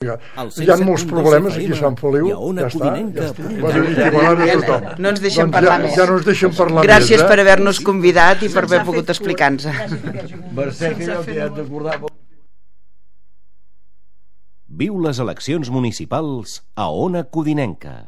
Hi ha molts problemes aquí a Sant Feliu. Ja està. No ens deixen parlar més. Ja no ens deixen parlar més. Gràcies per haver-nos convidat i per haver pogut explicar-nos. Viu les eleccions municipals a Ona Codinenca.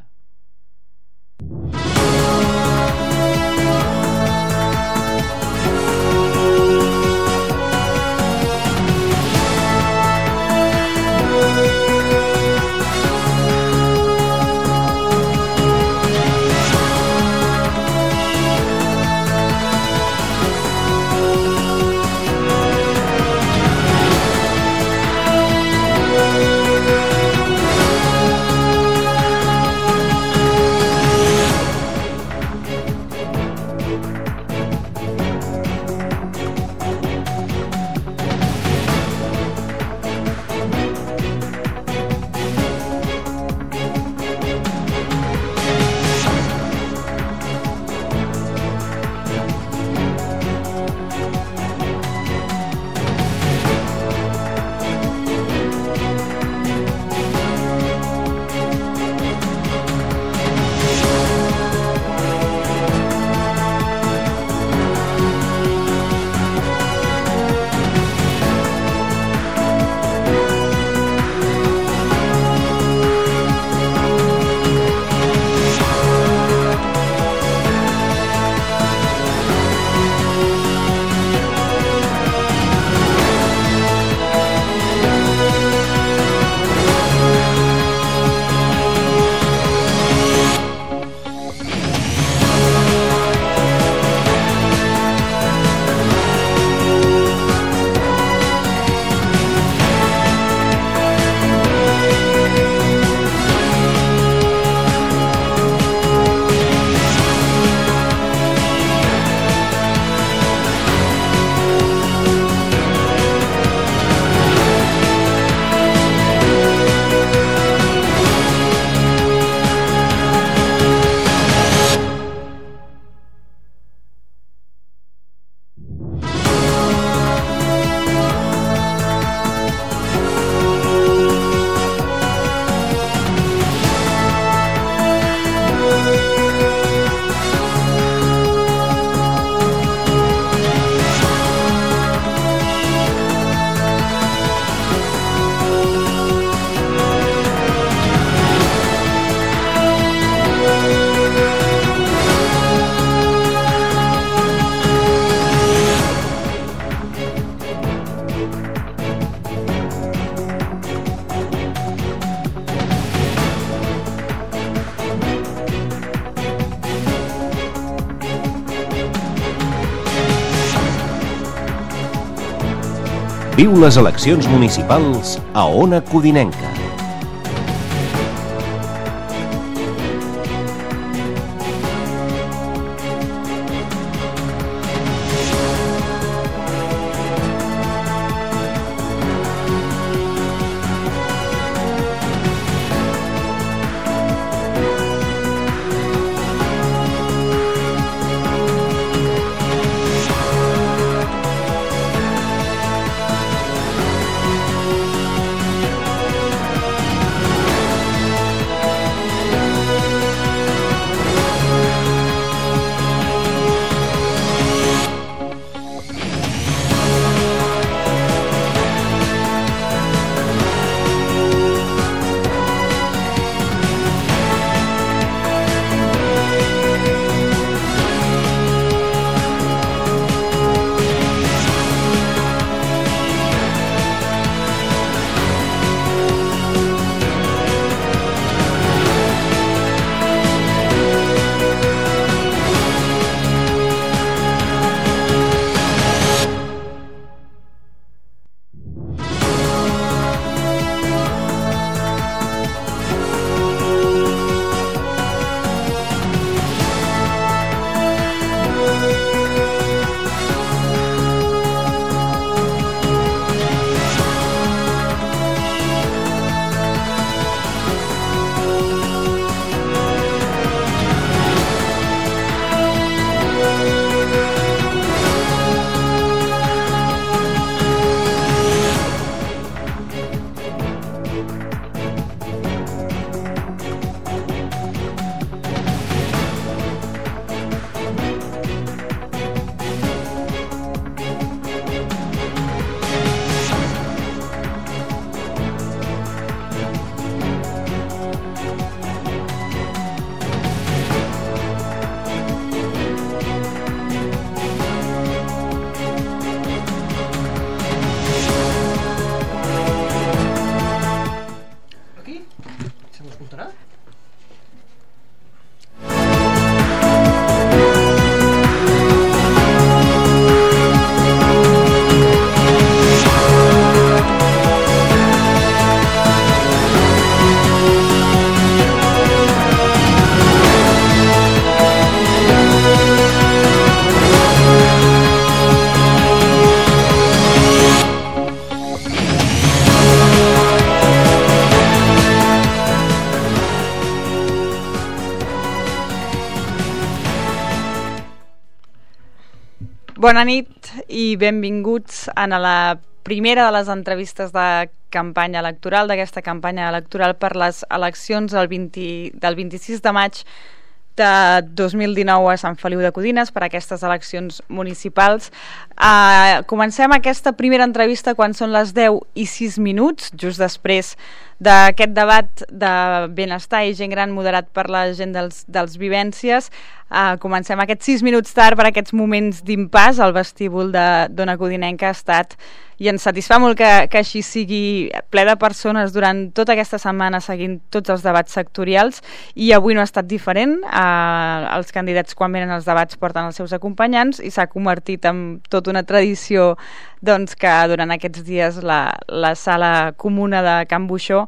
Viu les eleccions municipals a Ona Codinenca. Bona nit i benvinguts a la primera de les entrevistes de campanya electoral, d'aquesta campanya electoral per les eleccions del 26 de maig de 2019 a Sant Feliu de Codines, per aquestes eleccions municipals. Comencem aquesta primera entrevista quan són les 10:06, just després d'aquest debat de benestar i gent gran moderat per la gent dels Vivències. Comencem aquests 6 minuts tard per aquests moments d'impàs. El vestíbul d'Ona Codinenca ha estat, i ens satisfà molt que així sigui, ple de persones durant tota aquesta setmana seguint tots els debats sectorials, i avui no ha estat diferent. Els candidats, quan venen als debats, porten els seus acompanyants i s'ha convertit en tota una tradició que durant aquests dies la sala comuna de Can Buixó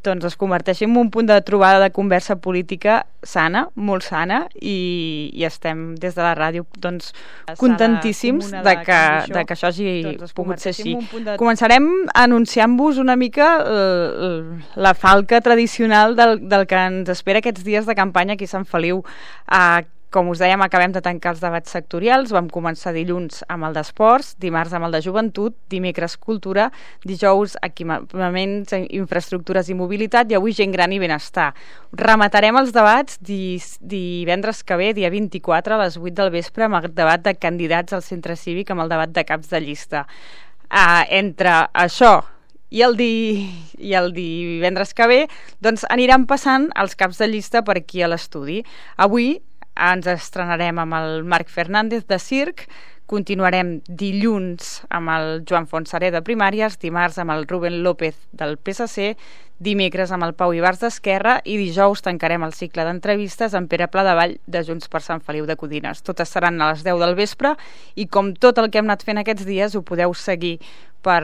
es converteixi en un punt de trobada de conversa política sana, molt sana, i estem des de la ràdio contentíssims de que això hagi pogut ser així. Començarem anunciant-vos una mica la falca tradicional del que ens espera aquests dies de campanya aquí a Sant Feliu. Com us dèiem, acabem de tancar els debats sectorials. Vam començar dilluns amb el d'esports, dimarts amb el de joventut, dimecres cultura, dijous equipaments, infraestructures i mobilitat, i avui gent gran i benestar. Rematarem els debats divendres que ve, dia 24, a les 8 del vespre, amb el debat de candidats al centre cívic, amb el debat de caps de llista. Entre això i el divendres que ve, aniran passant els caps de llista per aquí a l'estudi. Avui ens estrenarem amb el Marc Fernández de Circ, continuarem dilluns amb el Joan Fontseré de Primàries, dimarts amb el Rubén López del PSC, dimecres amb el Pau Ibars d'Esquerra, i dijous tancarem el cicle d'entrevistes amb Pere Pladevall de Junts per Sant Feliu de Codines. Totes seran a les 10 del vespre, i com tot el que hem anat fent aquests dies ho podeu seguir per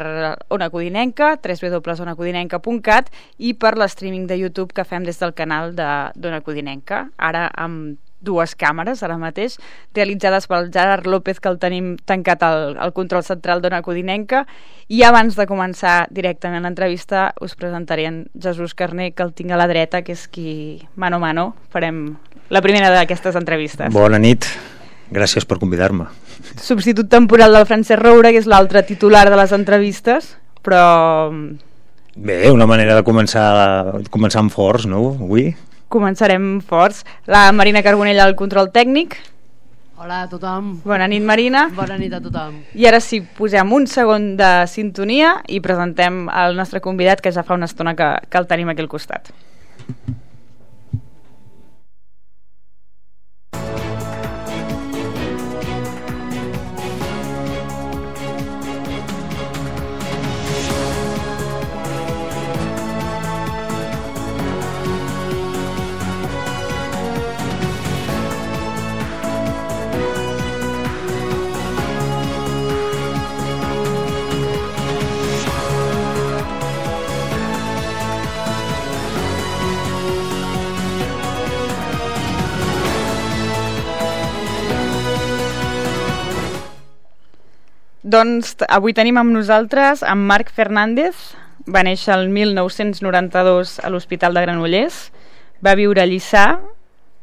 Ona Codinenca, www.onacodinenca.cat, i per l'streaming de YouTube que fem des del canal d'Ona Codinenca, ara amb 2 càmeres ara mateix, realitzades pel Gerard López, que el tenim tancat al control central d'Ona Codinenca. I abans de començar directament l'entrevista us presentaré en Jesús Carné, que el tinc a la dreta, que és qui mano a mano farem la primera d'aquestes entrevistes. Bona nit, gràcies per convidar-me. Substitut temporal del Francesc Roura, que és l'altre titular de les entrevistes, però... Bé, una manera de començar amb forts, no, avui? Començarem forts. La Marina Carbonell al control tècnic. Hola a tothom. Bona nit, Marina. Bona nit a tothom. I ara sí, posem un segon de sintonia i presentem el nostre convidat, que ja fa una estona que el tenim aquí al costat. Doncs avui tenim amb nosaltres en Marc Fernández. Va néixer el 1992 a l'Hospital de Granollers. Va viure a Lliçà,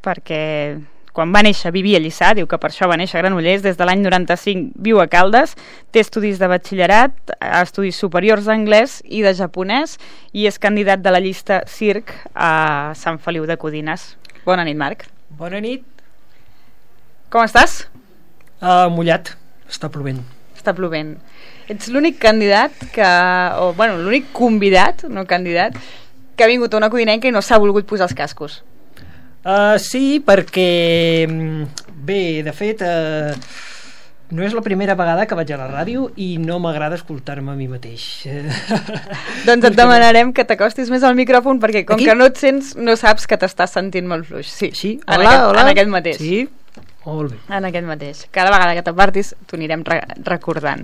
perquè quan va néixer vivia a Lliçà, diu que per això va néixer a Granollers. Des de l'any 95 viu a Caldes, té estudis de batxillerat, estudis superiors d'anglès i de japonès, i és candidat de la llista Circ a Sant Feliu de Codines. Bona nit, Marc. Bona nit. Com estàs? Mullat, està plovent. Està plovent. Ets l'únic candidat l'únic convidat, no candidat, que ha vingut a Ona Codinenca i no s'ha volgut posar els cascos. Sí, perquè bé, de fet no és la primera vegada que vaig a la ràdio i no m'agrada escoltar-me a mi mateix. Doncs et demanarem que t'acostis més al micròfon, perquè com que no et sents, no saps que t'estàs sentint molt fluix. Sí, hola. En aquest mateix. Sí, molt bé. En aquest mateix. Cada vegada que t'apartis t'ho anirem recordant.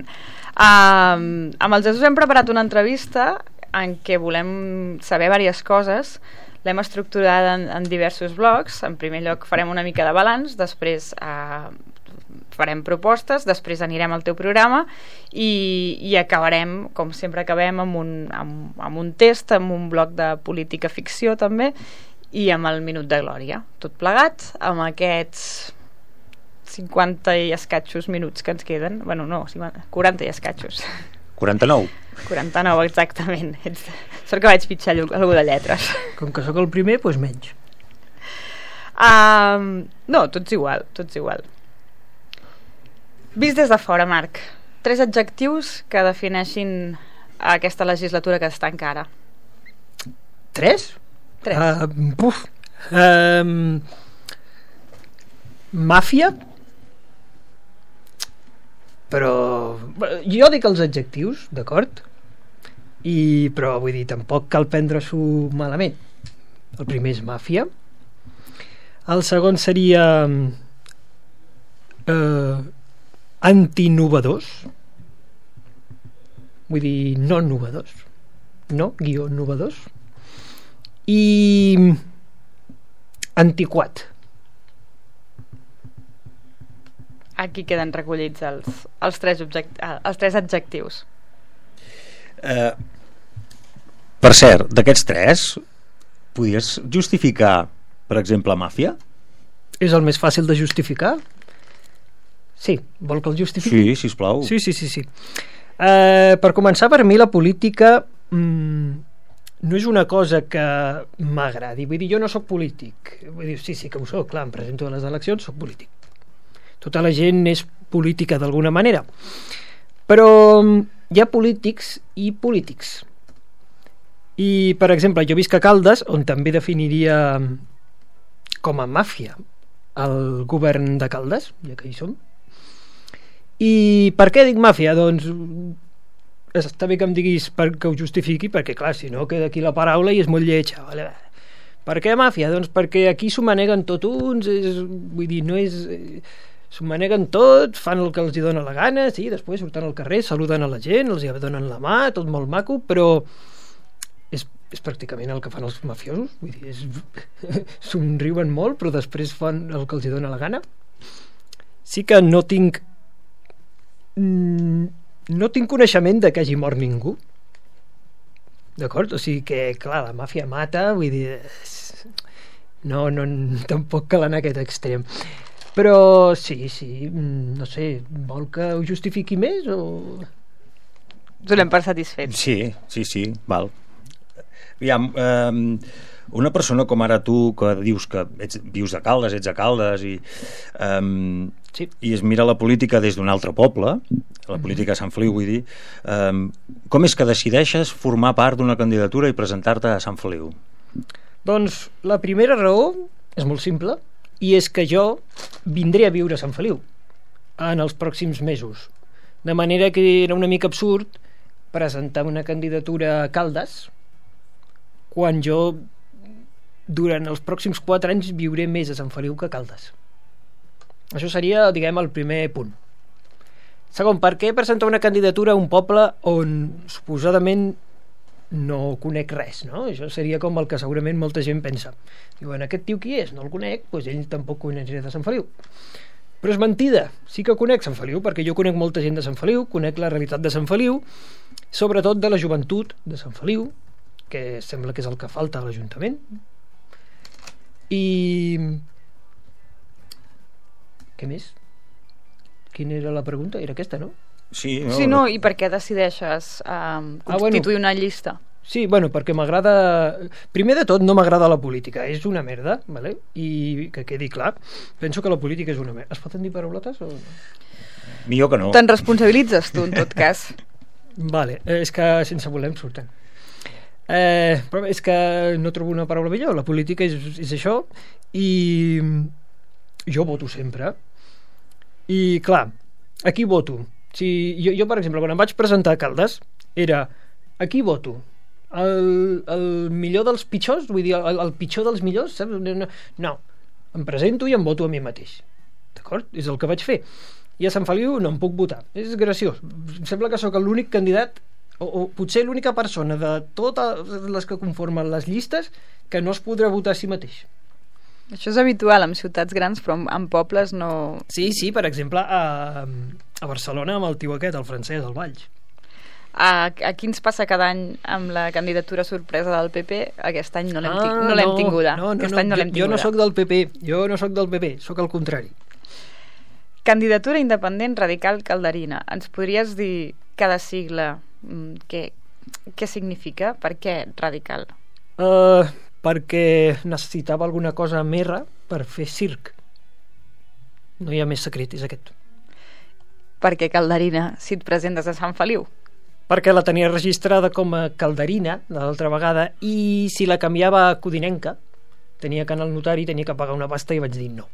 Amb el Jesús hem preparat una entrevista en què volem saber diverses coses. L'hem estructurat en diversos blocs. En primer lloc farem una mica de balanç, després farem propostes, després anirem al teu programa i acabarem, com sempre acabem, amb un test, amb un bloc de política ficció també, i amb el minut de glòria. Tot plegat amb aquests 50 i escatxos minuts que ens queden. Bueno, no, 40 i escatxos. 49. 49, exactament. Sort que vaig pitjar algú de lletres. Com que sóc el primer, doncs menys. No, tots igual. Vist des de fora, Marc, 3 adjectius que defineixin aquesta legislatura que està encara. 3? 3. Màfia? Però jo dic els adjectius, d'acord? Però vull dir, tampoc cal prendre-s'ho malament. El primer és màfia. El segon seria antinovadors. Vull dir, no novadors. No-novadors. I antiquat. Aquí queden recollits els 3 adjectius. Per cert, d'aquests 3 podies justificar, per exemple, màfia? És el més fàcil de justificar? Sí, vol que el justifiqui? Sí, sisplau. Sí. Per començar, per mi la política no és una cosa que m'agradi. Vull dir, jo no sóc polític. Vull dir, sí que ho soc, clar, em presento a les eleccions, soc polític. Tota la gent és política d'alguna manera. Però hi ha polítics i polítics. I, per exemple, jo visc a Caldes, on també definiria com a màfia el govern de Caldes, ja que hi som. I per què dic màfia? Doncs està bé que em diguis que ho justifiqui, perquè clar, si no queda aquí la paraula i és molt lletja, vale? Per què màfia? Doncs perquè aquí s'ho maneguen tot uns, vull dir, no és... s'ho maneguen tot, fan el que els hi dona la gana, sí, després surten al carrer, saluden a la gent, els hi donen la mà, tot molt maco, però és pràcticament el que fan els mafiosos, vull dir, somriuen molt, però després fan el que els hi dona la gana. Sí que no tinc coneixement de que hagi mort ningú, d'acord? O sigui que, clar, la màfia mata, vull dir, no, tampoc cal anar a aquest extrem. Però sí, no sé, vol que ho justifiqui més o... Donem per satisfet. Sí, val. Aviam, una persona com ara tu, que dius que vius a Caldes, ets a Caldes i es mira la política des d'un altre poble, la política de Sant Feliu, vull dir, com és que decideixes formar part d'una candidatura i presentar-te a Sant Feliu? Doncs la primera raó és molt simple, i és que jo vindré a viure a Sant Feliu en els pròxims mesos, de manera que era una mica absurd presentar una candidatura a Caldes quan jo durant els pròxims 4 anys viuré més a Sant Feliu que a Caldes. Això seria, diguem, el primer punt. Segon, per què presentar una candidatura a un poble on suposadament no conec res, no? Això seria com el que segurament molta gent pensa. Diuen, aquest tio qui és? No el conec, doncs ell tampoc coneixerà de Sant Feliu. Però és mentida, sí que conec Sant Feliu, perquè jo conec molta gent de Sant Feliu, conec la realitat de Sant Feliu, sobretot de la joventut de Sant Feliu, que sembla que és el que falta a l'Ajuntament. I... què més? Quina era la pregunta? Era aquesta, no? Sí, i per què decideixes constituir una llista? Sí, bueno, perquè m'agrada... Primer de tot, no m'agrada la política. És una merda, ¿vale? I que quedi clar. Penso que la política és una merda. Es poden dir paraulotes o no? Millor que no. Te'n responsabilitzes tu, en tot cas. Vale, és que sense voler em surten. Però és que no trobo una paraula millor. La política és això i jo voto sempre. I clar, aquí voto. Si jo, per exemple, quan em vaig presentar a Caldes, era aquí voto. El millor dels pitjors, vull dir, el pitjor dels millors, saps? No, em presento i em voto a mi mateix. D'acord? És el que vaig fer. I a Sant Feliu no em puc votar. És graciós. Em sembla que sóc l'únic candidat o potser l'única persona de totes les que conformen les llistes que no es podrà votar a si mateix. Això és habitual en ciutats grans, però en pobles no... Sí, per exemple, a Barcelona amb el tio aquest, el francès, el Valls. Aquí ens passa cada any amb la candidatura sorpresa del PP. Aquest any no l'hem tinguda. Jo no sóc del PP, sóc el contrari. Candidatura independent radical calderina. Ens podries dir cada sigla què significa? Per què radical? Perquè necessitava alguna cosa merra per fer circ. No hi ha més secret, és aquest. Per què calderina si et presentes a Sant Feliu? Perquè la tenia registrada com a calderina l'altra vegada, i si la canviava a codinenca tenia que anar al notari, tenia que pagar una pasta, i vaig dir no.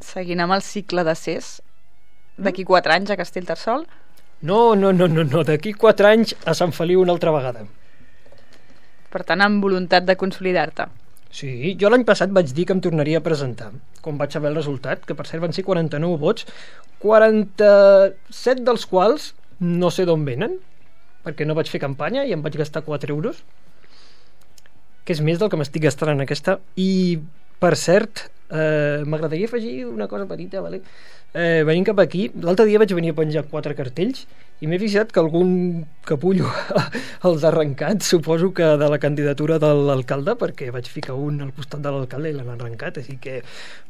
Seguint amb el cicle de CES, d'aquí 4 anys a Castellterçol? No, d'aquí 4 anys a Sant Feliu una altra vegada. Per tant, amb voluntat de consolidar-te. Sí, jo l'any passat vaig dir que em tornaria a presentar, quan vaig saber el resultat, que per cert van ser 49 vots, 47 dels quals no sé d'on venen, perquè no vaig fer campanya i em vaig gastar 4 euros, que és més del que m'estic gastant en aquesta. I, per cert, m'agradaria afegir una cosa petita, vale? Venint cap aquí, l'altre dia vaig venir a penjar 4 cartells i m'he fixat que algun capullo els ha arrencat, suposo que de la candidatura de l'alcalde, perquè vaig ficar un al costat de l'alcalde i l'han arrencat, així que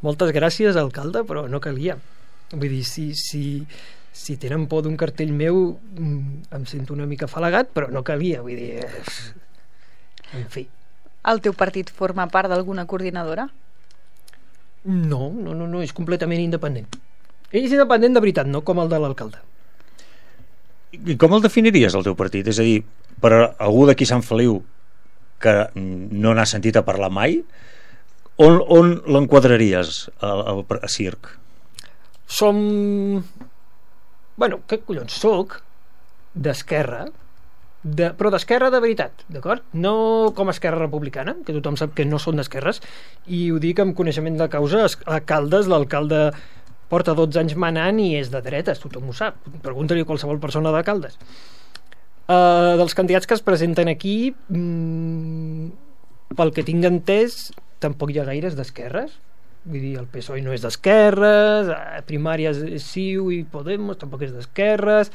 moltes gràcies, alcalde, però no calia. Vull dir, si tenen por d'un cartell meu, em sento una mica afalagat, però no calia, vull dir, en fi. El teu partit forma part d'alguna coordinadora? No, és completament independent. És independent de veritat, no com el de l'alcalde. I com el definiries, el teu partit? És a dir, per algú d'aquí Sant Feliu que no n'ha sentit a parlar mai, on l'enquadraries a circ? Som... Bueno, què collons? Soc d'esquerra, però d'esquerra de veritat, d'acord? No com Esquerra Republicana, que tothom sap que no són d'esquerres, i ho dic amb coneixement de causa. A Caldes l'alcalde porta 12 anys manant i és de dretes, tothom ho sap, pregunta-li a qualsevol persona de Caldes. Dels candidats que es presenten aquí, pel que tinc entès, tampoc hi ha gaires d'esquerres. Vull dir, el PSOE no és d'esquerres, Primàries CiU i Podemos tampoc és d'esquerres,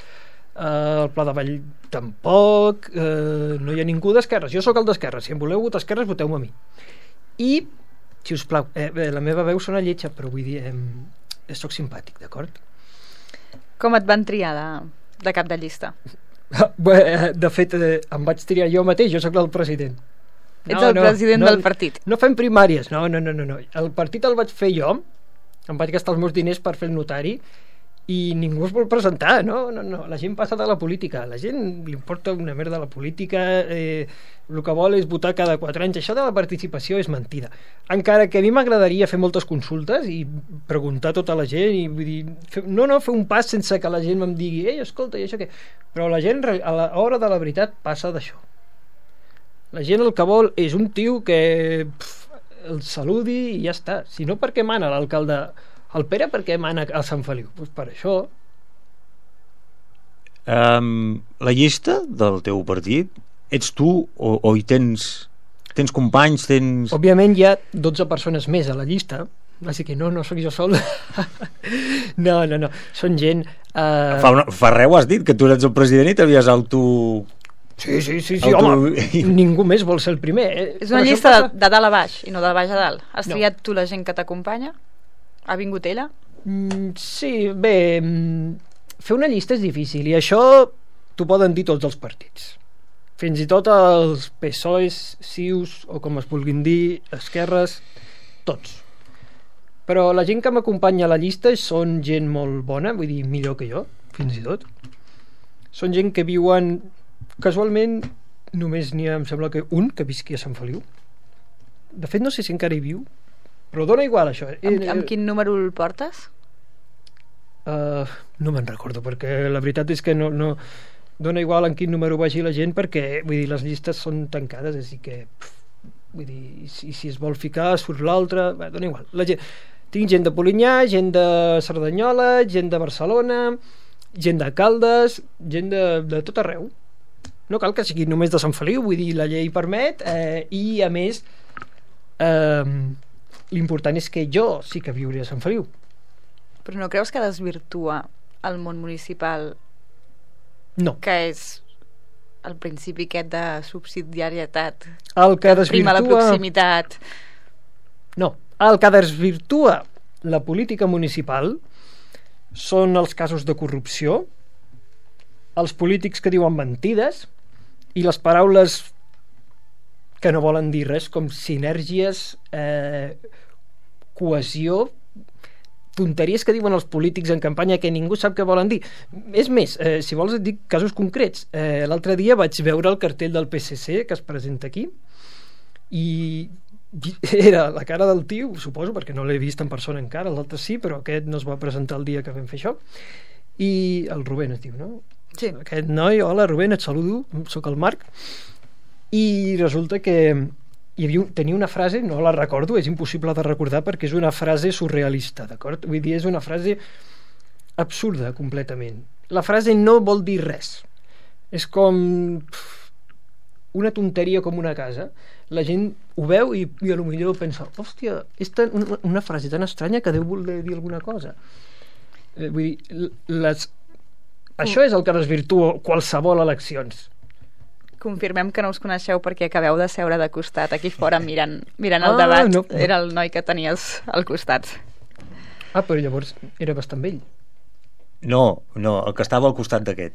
el Pla de Vall tampoc, no hi ha ningú d'esquerres. Jo sóc el d'esquerres, si em voleu votar esquerres, voteu-me a mi. I, si us plau, la meva veu sona lletja, però vull dir, sóc simpàtic, d'acord? Com et van triar de cap de llista? De fet, em vaig triar jo mateix, jo sóc el president. Ets el president del partit. No fem primàries, no. El partit el vaig fer jo, em vaig gastar els meus diners per fer el notari, i ningú es vol presentar, no. La gent passa de la política, a la gent li importa una merda la política, el que vol és votar cada 4 anys. Això de la participació és mentida, encara que a mi m'agradaria fer moltes consultes i preguntar a tota la gent, i vull dir, fer un pas sense que la gent em digui escolta, i això què? Però la gent a l'hora de la veritat passa d'això. La gent el que vol és un tio que el saludi i ja està. Si no, per què mana l'alcalde? El Pere per què mana a Sant Feliu? Doncs per això. La llista del teu partit, ets tu o hi tens companys? Òbviament hi ha 12 persones més a la llista, així que no sóc jo sol. No, són gent... Fa res has dit que tu eres el president i t'havies Sí, home, ningú més vol ser el primer. És una llista de dalt a baix i no de baix a dalt. Has triat tu la gent que t'acompanya? Ha vingut ella? Sí, bé, fer una llista és difícil, i això t'ho poden dir tots els partits, fins i tot els PSOEs, CiUs, o com es vulguin dir, esquerres, tots. Però la gent que m'acompanya a la llista són gent molt bona, vull dir, millor que jo, fins i tot. Són gent que viuen... Casualment només n'hi ha, em sembla que un que visqui a Sant Feliu. De fet no sé si encara hi viu, però dona igual això. Amb quin número el portes? No me'n recordo, perquè la veritat és que no dona igual en quin número vagi la gent, perquè vull dir, les llistes són tancades, així que vull dir, si es vol ficar surt l'altre, dona igual. Tinc gent de Polinyà, gent de Cerdanyola, gent de Barcelona, gent de Caldes, gent de tot arreu. No cal que sigui només de Sant Feliu, vull dir, la llei permet, i a més l'important és que jo sí que viuré a Sant Feliu. Però no creus que desvirtua el món municipal? No. Que és el principi aquest de subsidiarietat, el que desvirtua... prima la proximitat. No, el que desvirtua la política municipal són els casos de corrupció, els polítics que diuen mentides i les paraules que no volen dir res, com sinergies, cohesió, tonteries que diuen els polítics en campanya que ningú sap què volen dir. És més, si vols et dic casos concrets. L'altre dia vaig veure el cartell del PSC que es presenta aquí i era la cara del tio, suposo, perquè no l'he vist en persona encara, l'altre sí, però aquest no es va presentar el dia que vam fer això, i el Rubén es diu, no? Sí. Aquest noi, hola Rubén, et saludo, sóc el Marc, i resulta que tenia una frase, no la recordo, és impossible de recordar perquè és una frase surrealista, d'acord? Vull dir, és una frase absurda completament. La frase no vol dir res. És com una tonteria com una casa. La gent ho veu i a lo millor pensa, hòstia, és una frase tan estranya que deu voler dir alguna cosa. Vull dir, això és el que desvirtua qualsevol eleccions. Confirmem que no us coneixeu perquè acabeu de seure de costat aquí fora mirant el debat. No. Era el noi que tenies al costat. Però llavors era bastant vell. No, el que estava al costat d'aquest.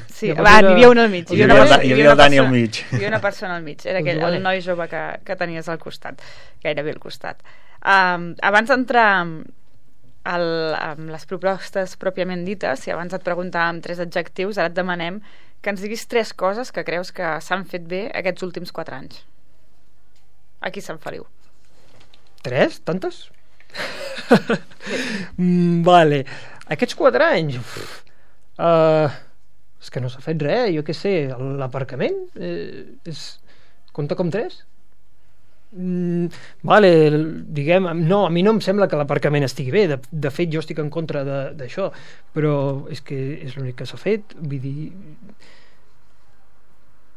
Sí, n'hi havia un al mig. Hi havia el Dani al mig. Hi havia una persona al mig. Era aquell, el noi jove que tenies al costat, gairebé al costat. Abans d'entrar amb les propostes pròpiament dites, si abans et preguntàvem 3 adjectius, ara et demanem que ens diguis 3 coses que creus que s'han fet bé aquests últims 4 anys. Aquí Sant Feliu. 3? Tantes? Vale. Aquests 4 anys és que no s'ha fet res, jo què sé, l'aparcament compta com 3? Vale, diguem, no, a mi no em sembla que l'aparcament estigui bé, de fet jo estic en contra d'això, però és que és l'únic que s'ha fet, vull dir,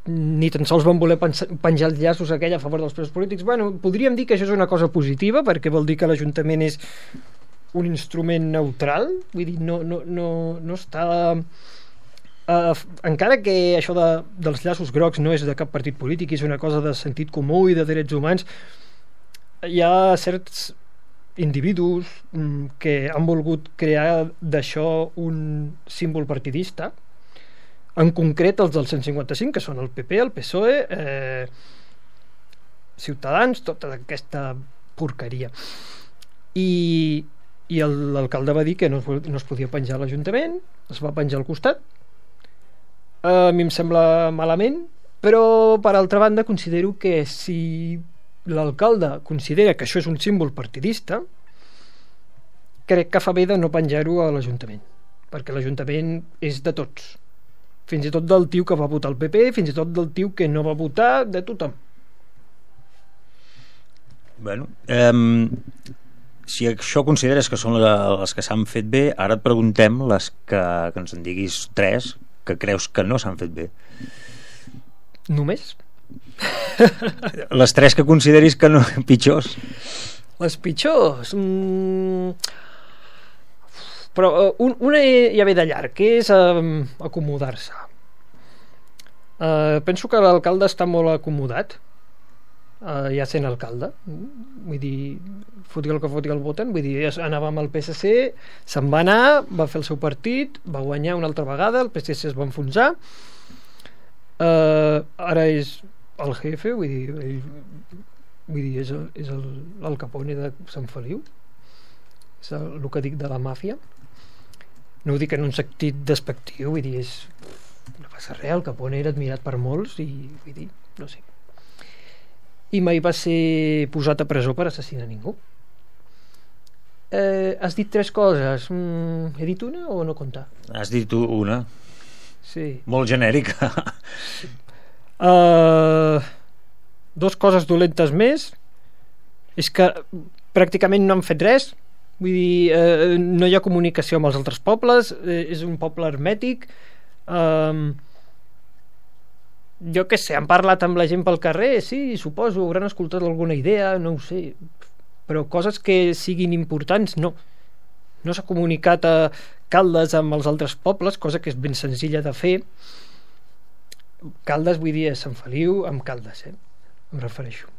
ni tan sols van voler penjar els llaços aquell a favor dels presos polítics. Bueno, podríem dir que això és una cosa positiva perquè vol dir que l'Ajuntament és un instrument neutral, vull dir, no està encara que això dels llaços grocs no és de cap partit polític, és una cosa de sentit comú i de drets humans, hi ha certs individus que han volgut crear d'això un símbol partidista, en concret els del 155, que són el PP, el PSOE, Ciutadans, tota aquesta porqueria. I l'alcalde va dir que no es podia penjar a l'Ajuntament, es va penjar al costat. A mi em sembla malament, però per altra banda considero que si l'alcalde considera que això és un símbol partidista, crec que fa bé de no penjar-ho a l'Ajuntament, perquè l'Ajuntament és de tots, fins i tot del tio que va votar el PP, fins i tot del tio que no va votar, de tothom. Bueno, si això consideres que són les que s'han fet bé, ara et preguntem les que ens en diguis 3 que creus que no s'han fet bé. Només? Les 3 que consideris que no, pitjors. Les pitjors? Però una ja ve de llarg, que és acomodar-se. Penso que l'alcalde està molt acomodat, ja sent alcalde, vull dir, foti el que foti el voten, vull dir, anava amb el PSC, se'n va anar, va fer el seu partit, va guanyar una altra vegada, el PSC es va enfonsar, ara és el jefe, vull dir, és el Capone de Sant Feliu, és el que dic de la màfia. No ho dic en un sentit despectiu, vull dir, no passa res, el Capone era admirat per molts i vull dir, no sé, i mai va ser posat a presó per assassinar ningú. Has dit 3 coses, he dit una o no compta? Has dit una, sí, molt genèrica. 2 coses dolentes més és que pràcticament no han fet res, vull dir, no hi ha comunicació amb els altres pobles, és un poble hermètic, jo què sé, han parlat amb la gent pel carrer, sí, suposo, hauran escoltat alguna idea, no ho sé, però coses que siguin importants no s'ha comunicat a Caldes amb els altres pobles, cosa que és ben senzilla de fer. Caldes vull dir a Sant Feliu amb Caldes, em refereixo.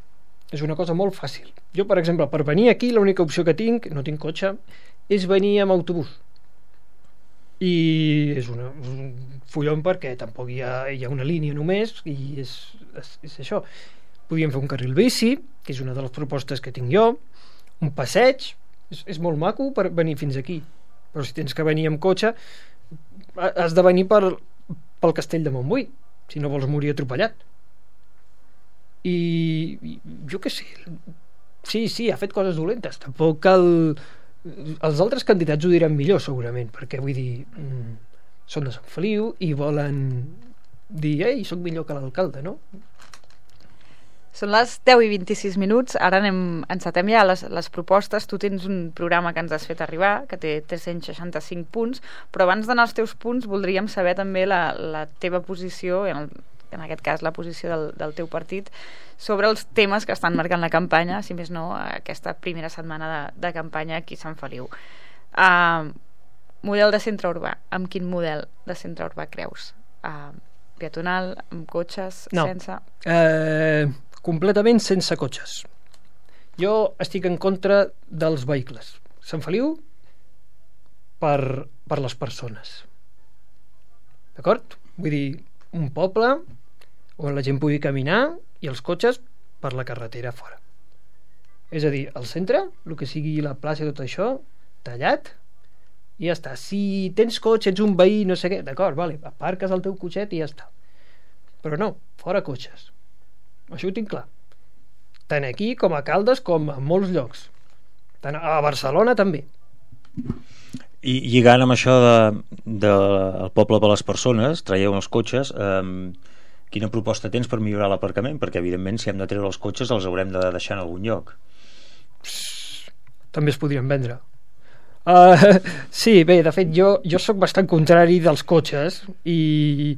És una cosa molt fàcil. Jo, per exemple, per venir aquí, l'única opció que tinc, no tinc cotxe, és venir amb autobús. I és un follon perquè tampoc hi ha una línia només, i és això. Podríem fer un carril bici, que és una de les propostes que tinc jo, un passeig, és molt maco per venir fins aquí, però si tens que venir amb cotxe has de venir pel castell de Montbui, si no vols morir atropellat. I jo què sé, sí, ha fet coses dolentes, tampoc cal... Els altres candidats ho diran millor segurament, perquè vull dir, són de Sant Feliu i volen dir, ei, soc millor que l'alcalde, no? Són les 10 i 26 minuts, ara encetem ja les propostes. Tu tens un programa que ens has fet arribar, que té 365 punts, però abans d'anar als teus punts voldríem saber també la teva posició, en aquest cas la posició del teu partit, sobre els temes que estan marcant la campanya, si més no, aquesta primera setmana de campanya aquí a Sant Feliu. Model de centre urbà. Amb quin model de centre urbà creus? Peatonal, amb cotxes, no. Sense? Completament sense cotxes. Jo estic en contra dels vehicles. Sant Feliu per les persones. D'acord? Vull dir, un poble on la gent pugui caminar i els cotxes per la carretera fora. És a dir, al centre, el que sigui la plaça i tot això, tallat, i ja està. Si tens cotxe, ets un veí, no sé què, d'acord, vale, aparques el teu cotxet i ja està. Però no, fora cotxes. Això ho tinc clar. Tant aquí com a Caldes com a molts llocs. Tant a Barcelona també. I lligant amb això del poble per les persones, traieu els cotxes, quina proposta tens per millorar l'aparcament? Perquè evidentment si hem de treure els cotxes els haurem de deixar en algun lloc. També es podrien vendre. Sí, bé, de fet jo sóc bastant contrari dels cotxes i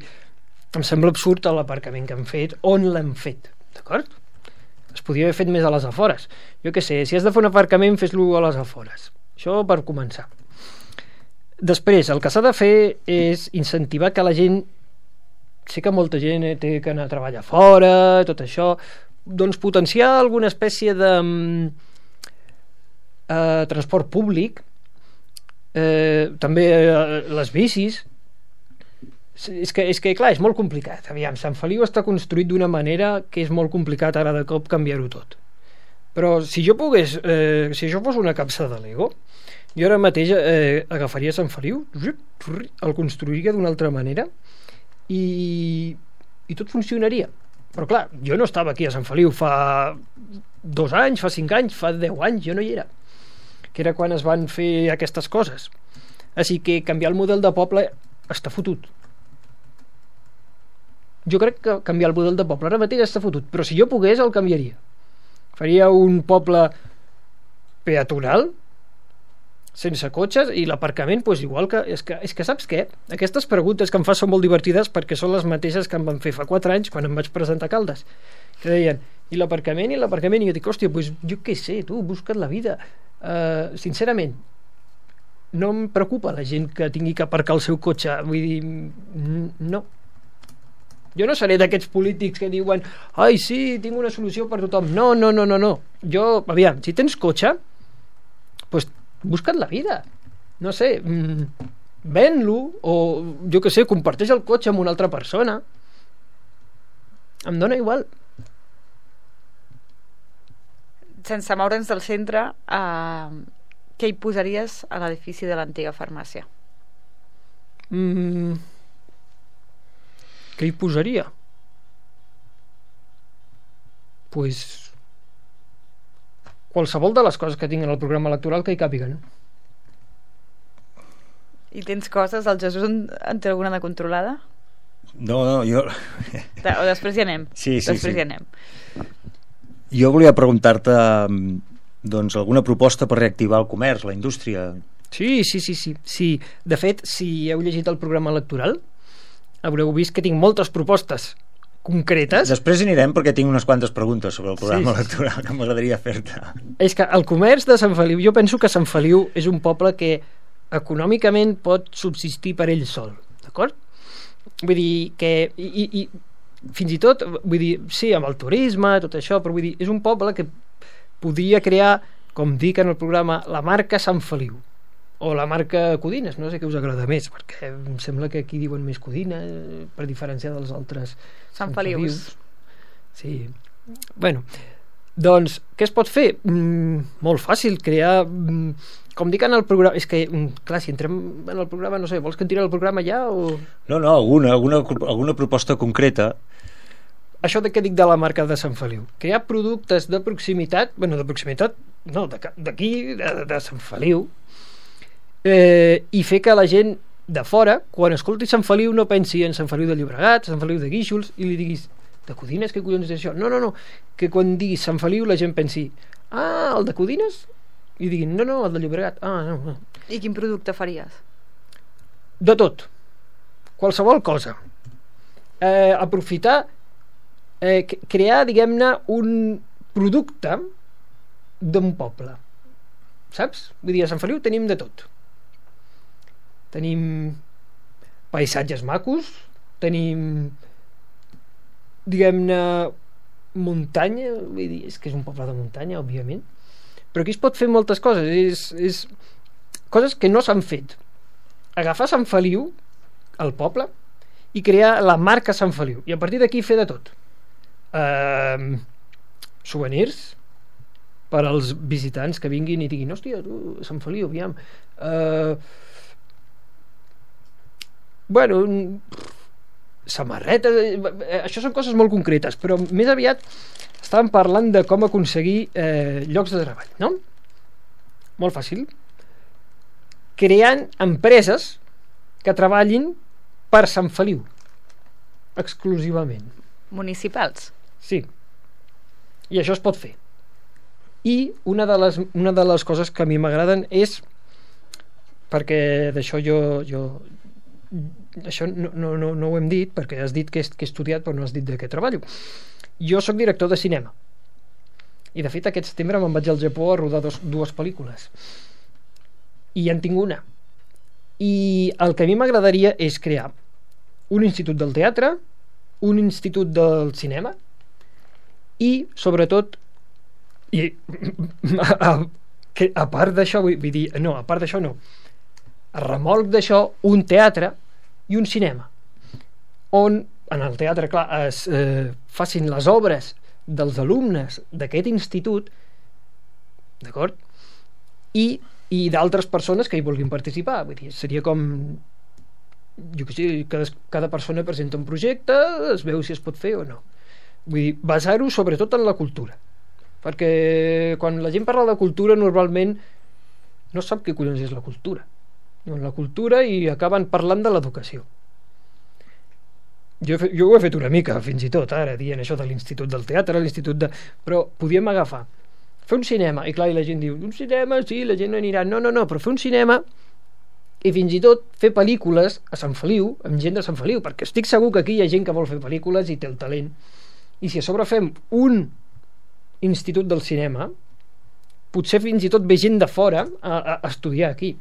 em sembla absurd l'aparcament que han fet, on l'han fet, d'acord? Es podria haver fet més a les afores. Jo què sé, si has de fer un aparcament, fes-lo a les afores. Això per començar. Després, el que s'ha de fer és incentivar que la gent, sé que molta gent té que anar a treballar fora, tot això, doncs potenciar alguna espècie de transport públic, també les bicis. És que clar, és molt complicat. Aviam, Sant Feliu està construït d'una manera que és molt complicat ara de cop canviar-ho tot. Però si jo pogués, si això fos una capsa de Lego, jo ara mateix agafaria Sant Feliu, el construiria d'una altra manera i tot funcionaria. Però clar, jo no estava aquí a Sant Feliu fa 2 anys, fa 5 anys, fa 10 anys, jo no hi era, que era quan es van fer aquestes coses. Així que canviar el model de poble està fotut. Jo crec que canviar el model de poble ara mateix està fotut, però si jo pogués el canviaria. Faria un poble peatonal sense cotxes i l'aparcament doncs igual que... És que saps què? Aquestes preguntes que em fas són molt divertides perquè són les mateixes que em van fer fa 4 anys quan em vaig presentar a Caldes, que deien, i l'aparcament, i jo dic, hòstia, doncs jo què sé, tu, busca't la vida. Sincerament, no em preocupa la gent que tingui que aparcar el seu cotxe, vull dir, no. Jo no seré d'aquests polítics que diuen ai sí, tinc una solució per tothom. No. Jo, aviam, si tens cotxe doncs busca't la vida, no sé, ven-lo o jo què sé, comparteix el cotxe amb una altra persona, em dona igual. Sense moure'ns del centre, què hi posaries a l'edifici de l'antiga farmàcia? Què hi posaria? Pues qualsevol de les coses que tinc en el programa electoral que hi càpiguen. I tens coses? El Jesús en té alguna de controlada? No, jo... O després hi anem. Sí. Hi anem. Jo volia preguntar-te doncs alguna proposta per reactivar el comerç, la indústria. Sí. De fet, si heu llegit el programa electoral haureu vist que tinc moltes propostes concretes. Després hi anirem perquè tinc unes quantes preguntes sobre el programa electoral que m'agradaria fer-te. És que el comerç de Sant Feliu, jo penso que Sant Feliu és un poble que econòmicament pot subsistir per ell sol, d'acord? Vull dir que i fins i tot, vull dir, sí, amb el turisme, tot això, però vull dir, és un poble que podria crear, com dic en el programa, la marca Sant Feliu o la marca Codines, no sé què us agrada més, perquè em sembla que aquí diuen més Codina per diferenciar dels altres Sant Felius. Sí. Bueno, doncs què es pot fer? Molt fàcil, crear com dic en el programa, és que clar, si entrem en el programa, no sé, vols que en tiri el programa ja o... No, alguna proposta concreta. Això de què dic de la marca de Sant Feliu, crear productes de proximitat, no, d'aquí, de Sant Feliu, i fer que la gent de fora, quan escolti Sant Feliu, no pensi en Sant Feliu de Llobregat, Sant Feliu de Guíxols, i li diguis, de Codines, què collons és això? No, que quan diguis Sant Feliu la gent pensi, el de Codines? I diguin, no, el de Llobregat. No. I quin producte faries? De tot, qualsevol cosa. Aprofitar, crear, diguem-ne, un producte d'un poble, saps? Vull dir, a Sant Feliu tenim de tot. Tenim paisatges macos, tenim, diguem-ne, muntanya, vull dir, és que és un poble de muntanya, òbviament, però aquí es pot fer moltes coses, és coses que no s'han fet. Agafar Sant Feliu, el poble, i crear la marca Sant Feliu, i a partir d'aquí fer de tot. Souvenirs per als visitants que vinguin i diguin, hòstia, tu, Sant Feliu, aviam, samarretes, això són coses molt concretes, però més aviat estàvem parlant de com aconseguir llocs de treball, no? Molt fàcil. Creant empreses que treballin per Sant Feliu, exclusivament. Municipals? Sí. I això es pot fer. I una de les coses que a mi m'agraden és, perquè d'això jo això no ho hem dit, perquè has dit que he estudiat però no has dit de què treballo. Jo sóc director de cinema i de fet aquest setembre me'n vaig al Japó a rodar dues pel·lícules i ja en tinc una, i el que a mi m'agradaria és crear un institut del teatre, un institut del cinema i sobretot a part d'això, vull dir, no, a part d'això no, a remolc d'això, un teatre i un cinema on en el teatre, clar, es facin les obres dels alumnes d'aquest institut, d'acord? I d'altres persones que hi vulguin participar. Vull dir, seria com, jo què sé, cada persona presenta un projecte, es veu si es pot fer o no. Vull dir, basar-ho sobretot en la cultura, perquè quan la gent parla de cultura normalment no sap què collons és la cultura. Diuen la cultura i acaben parlant de l'educació. Jo ho he fet una mica, fins i tot, ara, dient això de l'institut del teatre, però podíem agafar, fer un cinema, i clar, i la gent diu, un cinema, sí, la gent no anirà, no, però fer un cinema i fins i tot fer pel·lícules a Sant Feliu, amb gent de Sant Feliu, perquè estic segur que aquí hi ha gent que vol fer pel·lícules i té el talent, i si a sobre fem un institut del cinema, potser fins i tot ve gent de fora a estudiar aquí,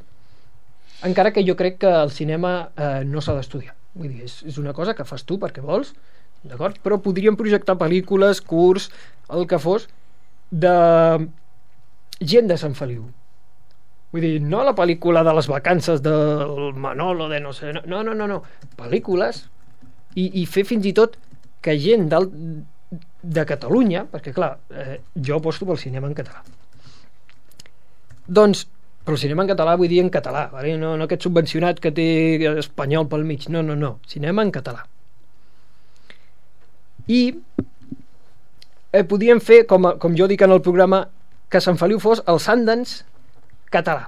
encara que jo crec que el cinema no s'ha d'estudiar. Vull dir, és una cosa que fas tu perquè vols, d'acord? Però podríem projectar pel·lícules, curs, el que fos, de gent de Sant Feliu. Vull dir, no la pel·lícula de les vacances del Manolo, de no sé... No. Pel·lícules i fer fins i tot que gent de Catalunya, perquè clar, jo aposto pel cinema en català. Doncs però el cinema en català vull dir en català, vale? No aquest subvencionat que té espanyol pel mig, no, cinema en català. I podíem fer, com jo dic en el programa, que Sant Feliu fos el Sundance català,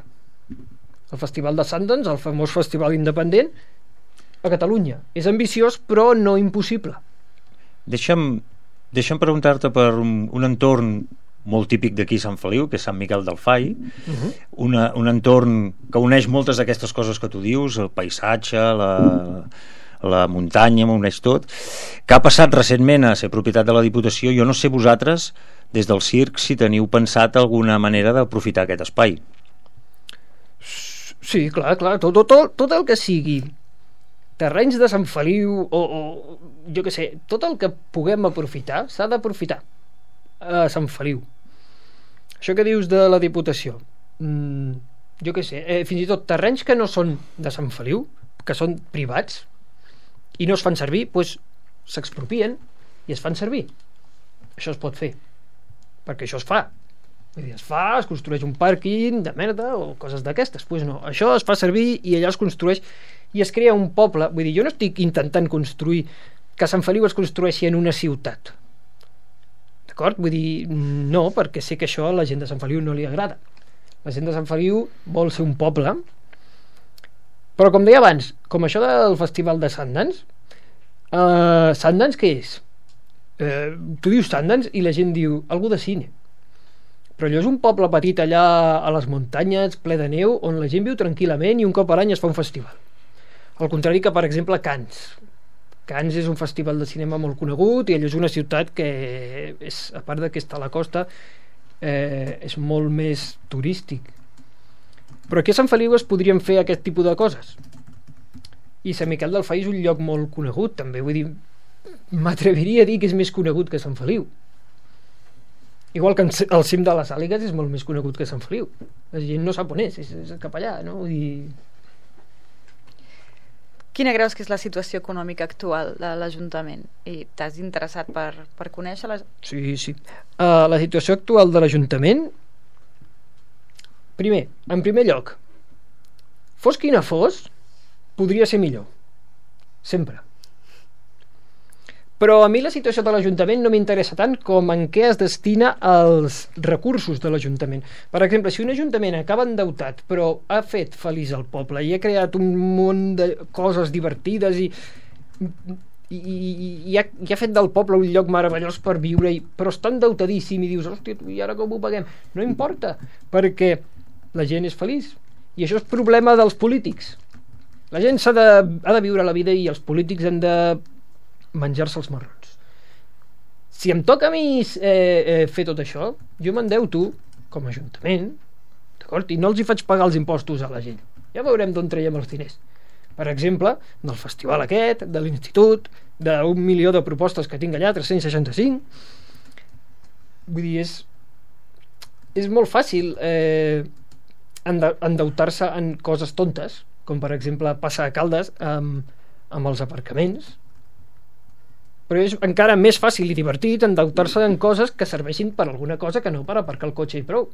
el festival de Sundance, el famós festival independent a Catalunya. És ambiciós però no impossible. Deixa'm preguntar-te per un entorn molt típic d'aquí Sant Feliu, que és Sant Miquel del Fai, un entorn que uneix moltes d'aquestes coses que tu dius, el paisatge, la muntanya, uneix tot, que ha passat recentment a ser propietat de la Diputació. Jo no sé vosaltres, des del circ, si teniu pensat alguna manera d'aprofitar aquest espai. Sí, clar, tot el que sigui terrenys de Sant Feliu o jo què sé, tot el que puguem aprofitar s'ha d'aprofitar a Sant Feliu. Això que dius de la Diputació, jo què sé, fins i tot terrenys que no són de Sant Feliu, que són privats i no es fan servir, doncs s'expropien i es fan servir. Això es pot fer, perquè això es fa. Vull dir, es construeix un pàrquing de merda o coses d'aquestes. Doncs no, això es fa servir i allà es construeix i es crea un poble. Vull dir, jo no estic intentant construir que Sant Feliu es construeixi en una ciutat, d'acord? Vull dir, no, perquè sé que això a la gent de Sant Feliu no li agrada. La gent de Sant Feliu vol ser un poble, però com deia abans, com això del festival de Sundance, Sundance què és? Tu dius Sundance i la gent diu algú de cine, però allò és un poble petit allà a les muntanyes, ple de neu, on la gent viu tranquil·lament i un cop a l'any es fa un festival. Al contrari que, per exemple, Cannes. Cannes és un festival de cinema molt conegut i allò és una ciutat que, a part de que està a la costa, és molt més turístic. Però aquí a Sant Feliu es podrien fer aquest tipus de coses. I Sant Miquel del Fai és un lloc molt conegut, també. Vull dir, m'atreviria a dir que és més conegut que Sant Feliu. Igual que el cim de les Àligues és molt més conegut que Sant Feliu. La gent no sap on és cap allà, no? Vull dir... Quina creus que és la situació econòmica actual de l'Ajuntament? I t'has interessat per conèixer-la? Sí. La situació actual de l'Ajuntament, en primer lloc, fos quina fos, podria ser millor. Sempre. Però a mi la situació de l'Ajuntament no m'interessa tant com en què es destina els recursos de l'Ajuntament. Per exemple, si un Ajuntament acaba endeutat però ha fet feliç el poble i ha creat un munt de coses divertides i ha fet del poble un lloc meravellós per viure, però està endeutadíssim i dius, hòstia, i ara com ho paguem? No importa, perquè la gent és feliç. I això és problema dels polítics. La gent ha de viure la vida i els polítics han de menjar-se els marrons. Si em toca a mi fer tot això, jo m'endeuto com a Ajuntament, d'acord? I no els hi faig pagar els impostos a la gent. Ja veurem d'on traiem els diners. Per exemple, del festival aquest, de l'institut, d'1 milió de propostes que tinc allà, 365. Vull dir, és molt fàcil endeutar-se en coses tontes, com per exemple passar a Caldes amb els aparcaments. Però és encara més fàcil i divertit endeutar-se en coses que serveixin per alguna cosa que no per aparcar el cotxe i prou.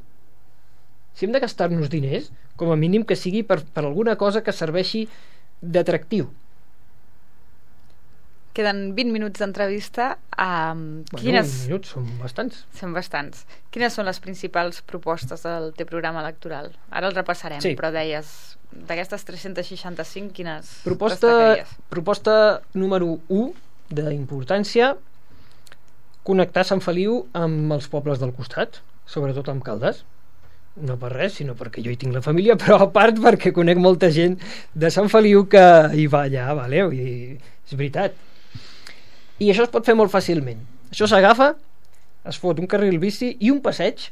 Si hem de gastar-nos diners, com a mínim que sigui per alguna cosa que serveixi d'atractiu. Queden 20 minuts d'entrevista. 20 minuts són bastants. Són bastants. Quines són les principals propostes del teu programa electoral? Ara el repassarem, sí. Però deies, d'aquestes 365, quines destacaries? Proposta número 1 d'importància, connectar Sant Feliu amb els pobles del costat, sobretot amb Caldes. No per res, sinó perquè jo hi tinc la família, però a part perquè conec molta gent de Sant Feliu que hi va allà, vale? I és veritat. I això es pot fer molt fàcilment. Això s'agafa, es fot un carril bici i un passeig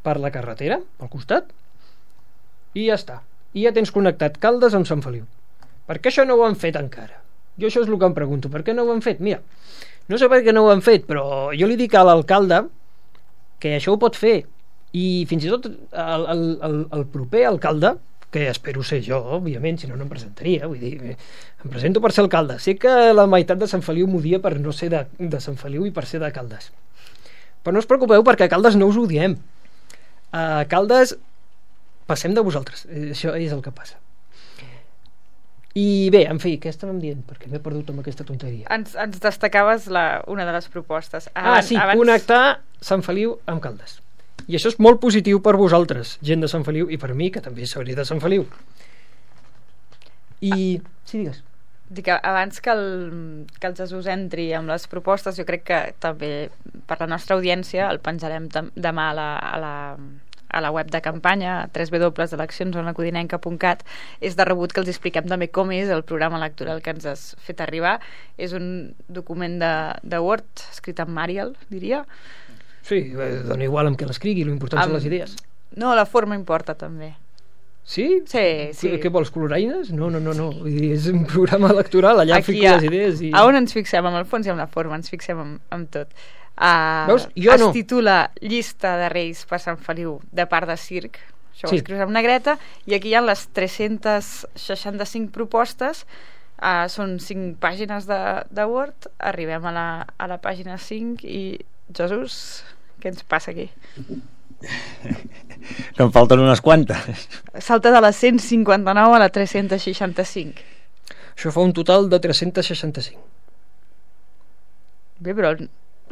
per la carretera, pel costat, i ja està. I ja tens connectat Caldes amb Sant Feliu. Per què això no ho han fet encara? Jo això és el que em pregunto, per què no ho han fet? Mira, no sé per què no ho han fet, però jo li dic a l'alcalde que això ho pot fer, i fins i tot el proper alcalde, que espero ser jo, òbviament, si no, no em presentaria, vull dir, em presento per ser alcalde. Sé que la meitat de Sant Feliu m'odia per no ser de Sant Feliu i per ser de Caldes. Però no us preocupeu, perquè a Caldes no us ho diem. A Caldes passem de vosaltres, això és el que passa. I bé, en fi, què estàvem dient? Perquè m'he perdut amb aquesta tonteria. Ens destacaves una de les propostes. Abans... connectar Sant Feliu amb Caldes. I això és molt positiu per vosaltres, gent de Sant Feliu, i per mi, que també seré de Sant Feliu. I... Sí, digues. Dic, abans que el Jesús entri amb les propostes, jo crec que també per la nostra audiència el penjarem demà a la web de campanya, www.eleccionsonaCodinenca.cat. És de rebut que els expliquem també com és el programa electoral que ens has fet arribar. És un document de Word escrit en Arial, diria. Sí, dona igual amb què l'escrigui, l'important són les idees. No, la forma importa també. Sí? Sí. Què vols, coloraines? No. Vull dir, és un programa electoral, allà Aquí fico les idees. I... A on ens fixem? Amb el fons i amb la forma, ens fixem amb tot. Veus? Jo es no. titula Llista de Reis per Sant Feliu de part de circ. Això ho escrius amb negreta, i aquí hi ha les 365 propostes. Són 5 pàgines de Word. Arribem a la pàgina 5 i, Jesús, què ens passa aquí? Que em falten unes quantes. Salta de la 159 a la 365. Això fa un total de 365. Bé, però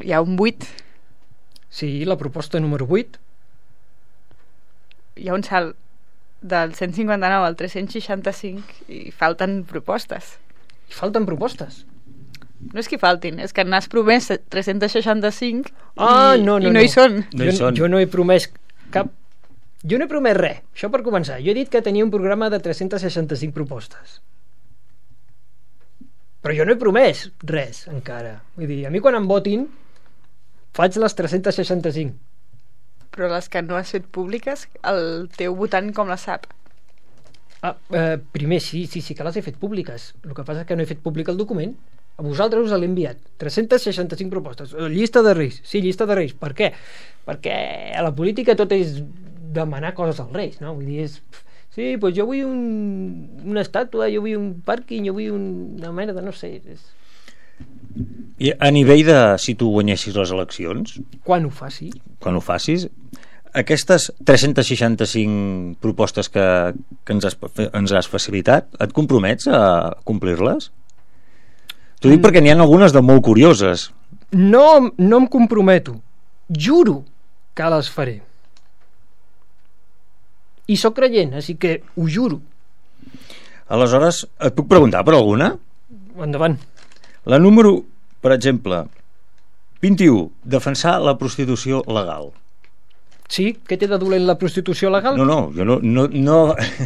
hi ha un 8. Sí, la proposta número 8. Hi ha un salt del 159 al 365 i falten propostes. I falten propostes? No és que faltin, és que n'has promès 365 no hi són. Jo no he promès cap... Jo no he promès res, això per començar. Jo he dit que tenia un programa de 365 propostes. Però jo no he promès res, encara. Vull dir, a mi quan em votin faig les 365. Però les que no has fet públiques, el teu votant com les sap? Primer sí que les he fet públiques. El que passa és que no he fet públic el document. A vosaltres us l'he enviat 365 propostes. Llista de Reis. Sí, llista de Reis. Per què? Perquè a la política tot és demanar coses als Reis, no? Vull dir, sí, doncs jo vull una estàtua, jo vull un pàrquing, jo vull una merda, no sé. I a nivell de si tu guanyessis les eleccions, quan ho facis, aquestes 365 propostes que ens has facilitat, et compromets a complir-les? T'ho dic perquè n'hi ha algunes de molt curioses. No em comprometo. Juro que les faré. I sóc creient, així que ho juro. Aleshores, et puc preguntar per alguna? Endavant. La número, per exemple, 21, defensar la prostitució legal. Sí? Què té de dolent la prostitució legal? No, jo no ho dic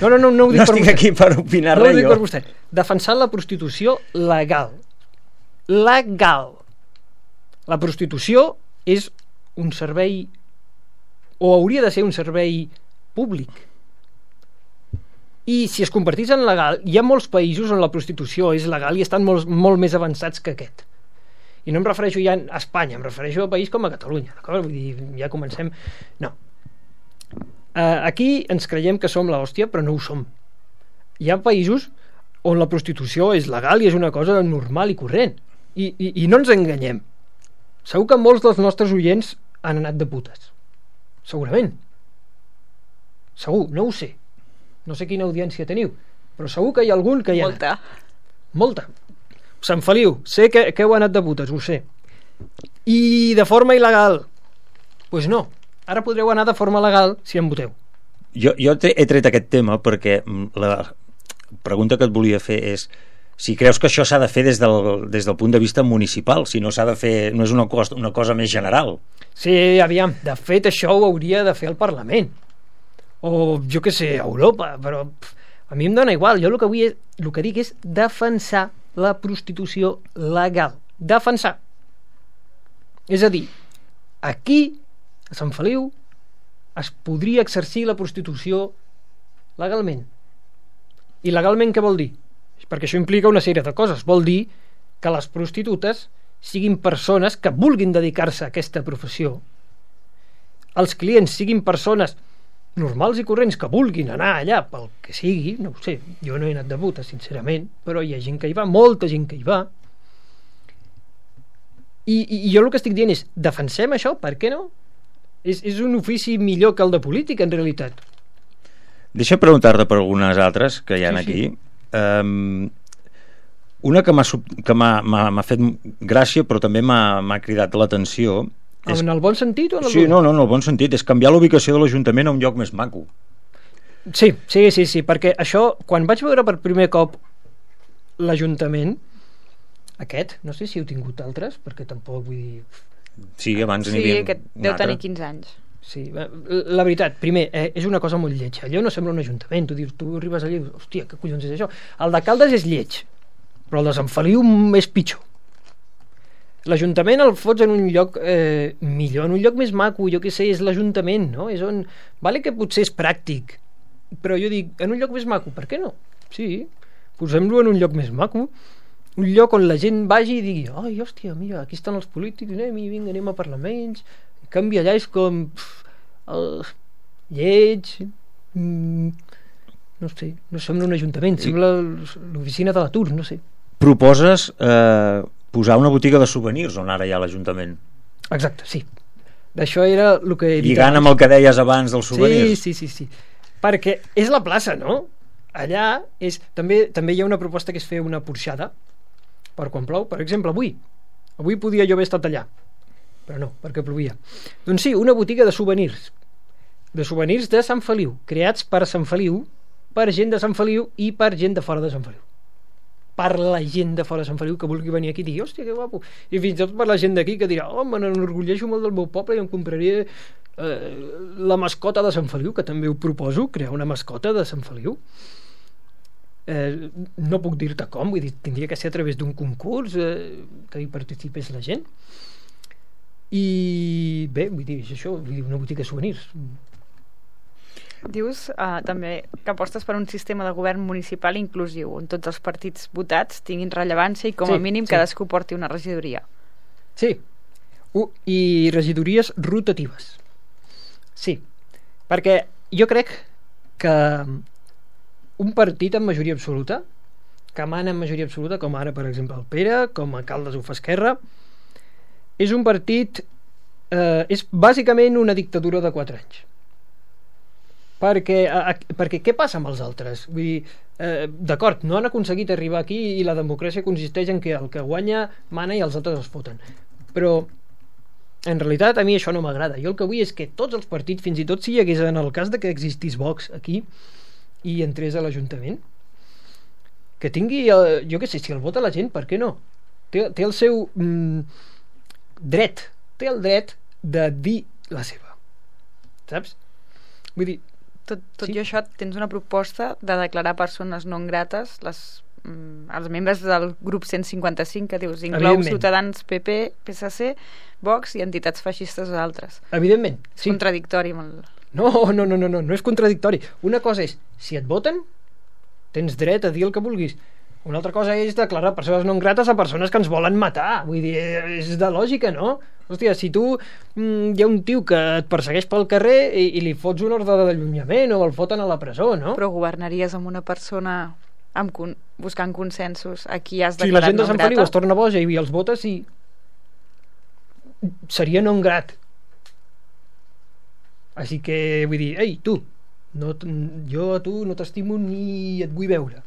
per estic vostè. aquí per opinar res, ho dic jo. Per vostè. Defensar la prostitució legal. Legal. La prostitució és un servei, o hauria de ser un servei públic. I si es convertís en legal, hi ha molts països on la prostitució és legal i estan molt més avançats que aquest. I no em refereixo ja a Espanya, em refereixo a un país com a Catalunya, d'acord? Vull dir, ja comencem... No. Aquí ens creiem que som l'hòstia, però no ho som. Hi ha països on la prostitució és legal i és una cosa normal i corrent. I no ens enganyem. Segur que molts dels nostres oients han anat de putes. Segurament. Segur, no ho sé. No sé quina audiència teniu, però segur que hi ha algun que hi ha anat. Molta. Sant Feliu, sé que heu anat de putes, ho sé. I de forma il·legal? Doncs no. Ara podreu anar de forma legal si em voteu. Jo he tret aquest tema perquè la pregunta que et volia fer és si creus que això s'ha de fer des del punt de vista municipal, si no s'ha de fer, no és una cosa més general. Sí, aviam, de fet això ho hauria de fer el Parlament. O jo què sé, Europa, però a mi em dona igual. Jo el que dic és defensar la prostitució legal. Defensar. És a dir, aquí, a Sant Feliu, es podria exercir la prostitució legalment. I legalment què vol dir? Perquè això implica una sèrie de coses. Vol dir que les prostitutes siguin persones que vulguin dedicar-se a aquesta professió. Els clients siguin persones normals i corrents que vulguin anar allà pel que sigui, no ho sé, jo no he anat de puta sincerament, però hi ha gent que hi va, molta gent que hi va, i jo el que estic dient és defensem això, per què no? És un ofici millor que el de política en realitat. Deixa preguntar-te per algunes altres que hi ha aquí. Una que m'ha fet gràcia però també m'ha cridat l'atenció. En el bon sentit o en el sí, no, en el bon sentit, és canviar l'ubicació de l'Ajuntament a un lloc més maco. Sí, perquè això, quan vaig veure per primer cop l'Ajuntament aquest, no sé si heu tingut altres, perquè tampoc vull dir... Sí, abans n'hi havia que deu tenir 15 anys. Sí, la veritat, primer, és una cosa molt lletja. Allò no sembla un ajuntament. Tu arribes allà i dius, hòstia, què collons és això? El de Caldes és lleig, però el de Sant Feliu és pitjor. L'Ajuntament el fots en un lloc millor, en un lloc més maco, jo què sé, és l'Ajuntament, no? És on... Vale que potser és pràctic, però jo dic, en un lloc més maco, per què no? Sí, posem-lo en un lloc més maco, un lloc on la gent vagi i digui, ai, hòstia, mira, aquí estan els polítics, vinga, anem a parlar amb ells. En canvi allà és com lleig, no sé, no sembla un ajuntament, sembla l'oficina de l'atur, no sé. Proposes posar una botiga de souvenirs on ara hi ha l'Ajuntament. Exacte, sí. D'això era el que he dit lligant abans. amb el que deies abans dels souvenirs. Sí. Perquè és la plaça, no? Allà és... També hi ha una proposta que és fer una porxada per quan plou. Per exemple, avui podia jo haver estat allà, però no, perquè plovia. Doncs sí, una botiga de souvenirs de Sant Feliu, creats per Sant Feliu, per gent de Sant Feliu i per gent de fora de Sant Feliu. Per la gent de fora de Sant Feliu que vulgui venir aquí i digui, hòstia, que guapo. I fins i tot per la gent d'aquí que dirà, me n'enorgulleixo molt del meu poble i em compraré la mascota de Sant Feliu, que també ho proposo, crear una mascota de Sant Feliu. No puc dir-te com, vull dir, tindria que ser a través d'un concurs que hi participés la gent. I bé, vull dir, això, vull dir, una botiga de souvenirs. Dius també que apostes per un sistema de govern municipal inclusiu, on tots els partits votats tinguin rellevància i com a mínim cadascú porti una regidoria. Sí, i regidories rotatives. Sí, perquè jo crec que un partit amb majoria absoluta, que mana amb majoria absoluta, com ara per exemple el Pere, com a alcaldes ho fa Esquerra, és un partit és bàsicament una dictadura de 4 anys. Perquè què passa amb els altres? Vull dir, d'acord, no han aconseguit arribar aquí i la democràcia consisteix en que el que guanya mana i els altres es foten, però en realitat a mi això no m'agrada. Jo el que vull és que tots els partits, fins i tot si hi hagués en el cas de que existís Vox aquí i entrés a l'Ajuntament, que tingui jo què sé, si el vota la gent, per què no? Té el seu dret, té el dret de dir la seva, saps? Vull dir, tot i això tens una proposta de declarar persones non grates els membres del grup 155, que dius inclou Ciutadans, PP, PSC, Vox i entitats feixistes o altres. Evidentment, sí. És contradictori amb el... No és contradictori. Una cosa és, si et voten tens dret a dir el que vulguis. Una altra cosa és declarar persones non grates a persones que ens volen matar. Vull dir, és de lògica, no? Hòstia, si tu hi ha un tio que et persegueix pel carrer i li fots una ordre d'allunyament o el foten a la presó, no? Però governaries amb una persona buscant consensos a qui has declarat non grata? Si la gent de Sant Feliu es torna boja i els vota, sí, seria non grat. Així que vull dir, ei, tu, jo a tu no t'estimo ni et vull veure,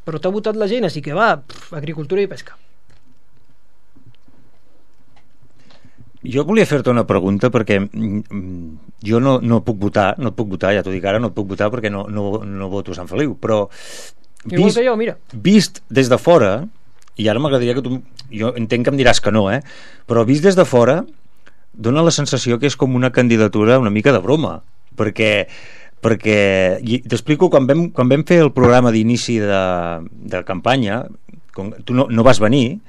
però t'ha votat la gent, així que va, agricultura i pesca. Jo volia fer-te una pregunta perquè jo no puc votar, ja t'ho dic ara, no puc votar perquè no voto Sant Feliu, però igual que jo, mira, vist des de fora, i ara m'agradaria que tu, jo entenc que em diràs que no, però vist des de fora dona la sensació que és com una candidatura una mica de broma, perquè t'explico, quan vam fer el programa d'inici de campanya, tu no vas venir,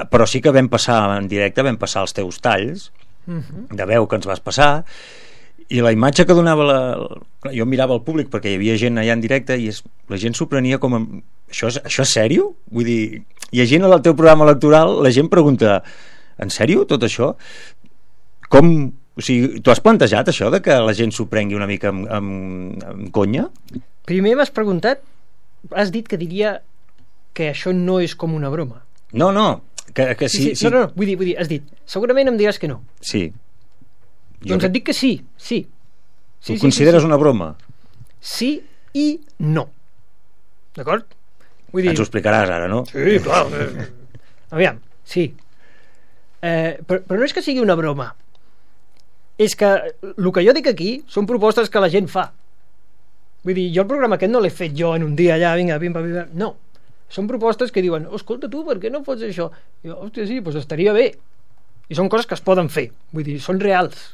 però sí que vam passar en directe, vam passar els teus talls de veu que ens vas passar, i la imatge que donava jo mirava el públic perquè hi havia gent allà en directe i la gent s'ho prenia com això és sèrio? Vull dir, llegint el teu programa electoral la gent pregunta, en sèrio tot això? Com, o sigui, tu has plantejat això de que la gent s'ho prengui una mica amb conya? Primer m'has preguntat, has dit que diria que això no és com una broma. No, que sí. No, vull dir, has dit, segurament em diràs que no. Sí. Doncs et dic que sí. Ho consideres una broma? Sí i no. D'acord? Vull dir... Ens ho explicaràs ara, no? Sí, clar. Aviam, sí. Però no és que sigui una broma. És que el que jo dic aquí són propostes que la gent fa. Vull dir, jo el programa aquest no l'he fet jo en un dia allà, vinga, pim, no. Són propostes que diuen, escolta tu, per què no fots això? I jo, hòstia, sí, doncs estaria bé. I són coses que es poden fer, vull dir, són reals.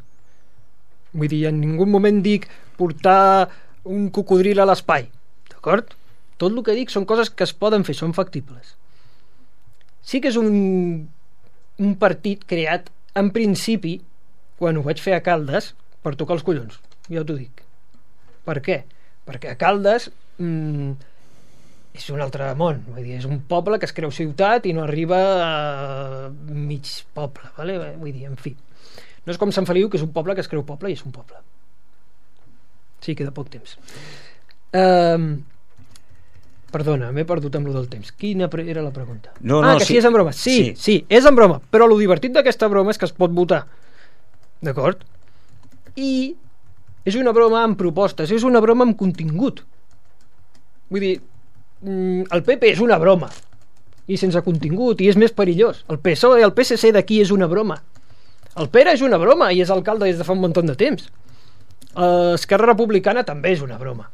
Vull dir, en ningú moment dic portar un cocodril a l'espai, d'acord? Tot el que dic són coses que es poden fer, són factibles. Sí que és un partit creat en principi, quan ho vaig fer a Caldes, per tocar els collons, ja t'ho dic. Per què? perquè Caldes és un altre món, vull dir, és un poble que es creu ciutat i no arriba a mig poble, vale? Vull dir, en fi, no és com Sant Feliu, que és un poble que es creu poble i és un poble. Sí, queda poc temps. Perdona, m'he perdut amb lo del temps. Quina era la pregunta? Que sí és en broma. Sí, és en broma, però lo divertit d'aquesta broma és que es pot votar, d'acord? I és una broma amb propostes, és una broma amb contingut. Vull dir, el PP és una broma i sense contingut, i és més perillós. El PSOE, el PSC d'aquí és una broma. El Pere és una broma i és alcalde des de fa un munt de temps. Esquerra Republicana també és una broma.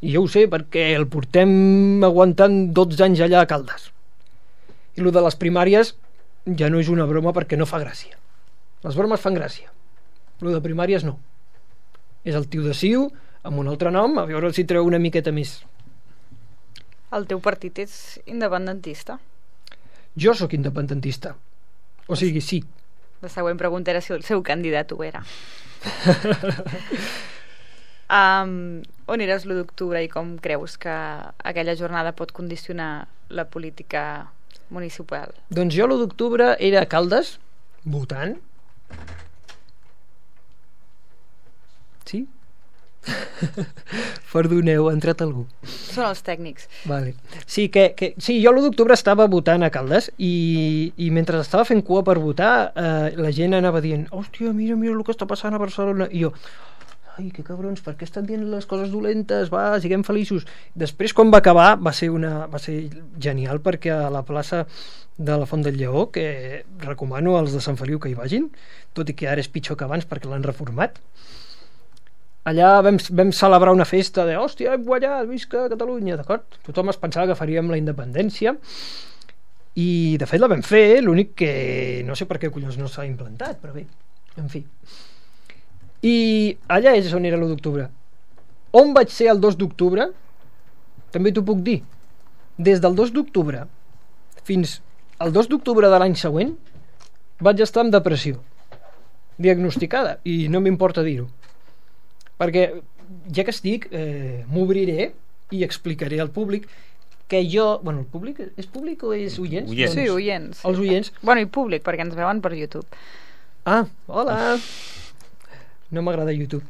I jo ho sé perquè el portem aguantant 12 anys allà a Caldes. I el de les primàries ja no és una broma perquè no fa gràcia. Les bromes fan gràcia. El de primàries no. És el tio de Ciu amb un altre nom, a veure si treu una miqueta més. El teu partit és independentista? Jo sóc independentista. O sigui, sí. La següent pregunta era si el seu candidat ho era. On eres l'1 d'octubre i com creus que aquella jornada pot condicionar la política municipal? Doncs jo l'1 d'octubre era a Caldes, votant. Sí? Perdoneu, ha entrat algú. Són els tècnics. Vale. Sí, sí, jo l'1 d'octubre estava votant a Caldes i mentre estava fent cua per votar la gent anava dient, hòstia, mira el que està passant a Barcelona, i jo, ai, que cabrons, per què estan dient les coses dolentes? Va, siguem feliços. Després, quan va acabar, va ser genial, perquè a la plaça de la Font del Lleó, que recomano als de Sant Feliu que hi vagin, tot i que ara és pitjor que abans perquè l'han reformat, allà vam celebrar una festa de hòstia, hem guanyat, visca Catalunya, d'acord? Tothom es pensava que faríem la independència i de fet la vam fer, l'únic que no sé per què collons no s'ha implantat, però bé, en fi. I allà és on era l'1 d'octubre. On vaig ser el 2 d'octubre? També t'ho puc dir. Des del 2 d'octubre fins al 2 d'octubre de l'any següent vaig estar en depressió diagnosticada, i no m'importa dir-ho, perquè ja que estic m'obriré i explicaré al públic que jo, bueno, el públic és públic o és oients? Sí, oients. Els oients. Bueno, i públic, perquè ens veuen per YouTube. Ah, hola. No m'agrada YouTube.